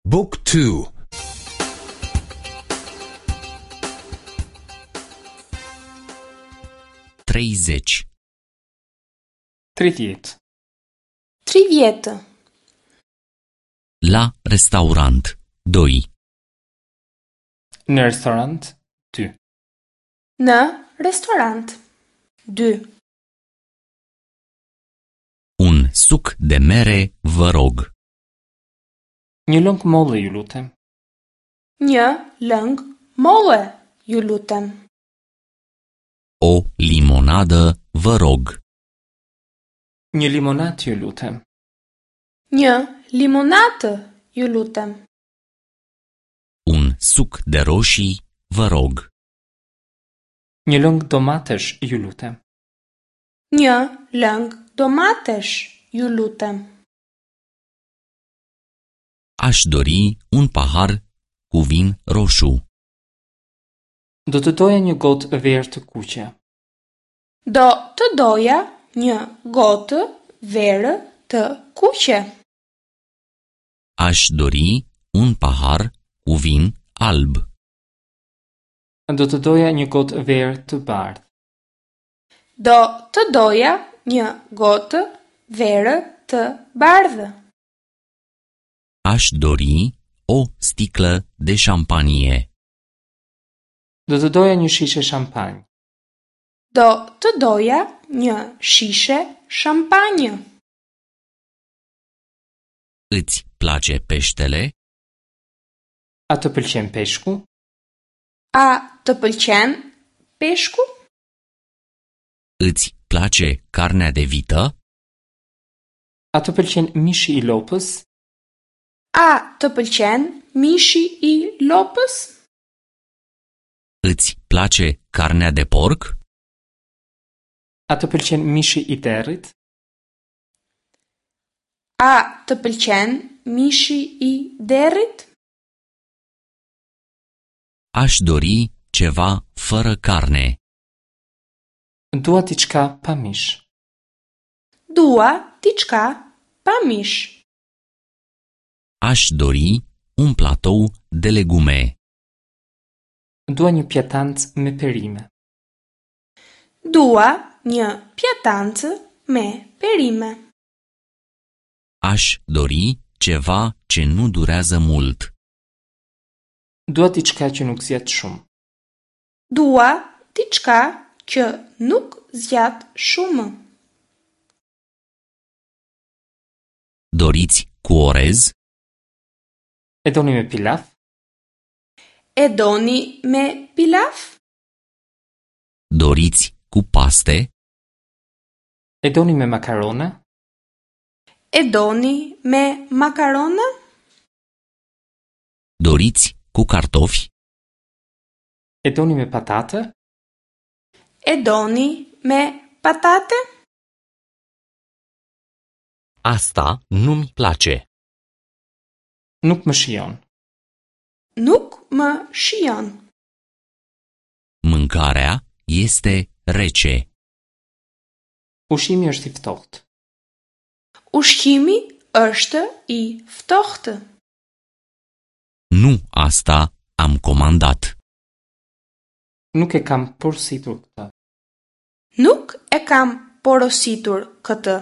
Book 2 30. 30. 30. La restaurant 2. Në restorant 2. Në restorant 2. Un suc de mere, vă rog. Një lëng molle, ju lutem. Një lëng molle, ju lutem. O limonadă, vă rog. Një limonatë, ju lutem. Një limonatë, ju lutem. Un suc de roșii, vă rog. Një lëng domatesh, ju lutem. Një lëng domatesh, ju lutem. Aș dori un pahar cu vin roșu. Do të doja një gotë verë të kuqe. Do të doja një gotë verë të kuqe. Aș dori un pahar cu vin alb. Do të doja një gotë verë të bardhë. Do të doja një gotë verë të bardhë. Aș dori o sticlă de șampanie. Do të doja një shishe shampanjë. Do të doja një shishe shampanjë. Îți place peștele? A të pëlqen peshku? A të pëlqen peshku? Îți place carnea de vită? A të pëlqen mishi i lopës? A të pëlqen mishi i lopës? Îți place carnea de porc? A të pëlqen mishi i derrit? A të pëlqen mishi i derrit? Aș dori ceva fără carne. Dua diçka pa mish. Dua diçka pa mish. Aș dori un platou de legume. Dua një pjatancë me perime. Dua një pjatancë me perime. Aș dori ceva ce nu durează mult. Dua diçka që nuk zgjat shumë. Dua diçka që nuk zgjat shumë. Doriți cu orez? E doni me pilaf? E doni me pilaf? Doriți cu paste? E doni me makarona? E doni me makarona? Doriți cu cartofi? E doni me patate? E doni me patate? Asta nu-mi place. Nuk më shijon. Nuk më shijon. Mâncarea este rece. Ushqimi është i ftohtë. Ushqimi është i ftohtë. Nu asta am comandat. Nuk e kam porositur këtë. Nuk e kam porositur këtë.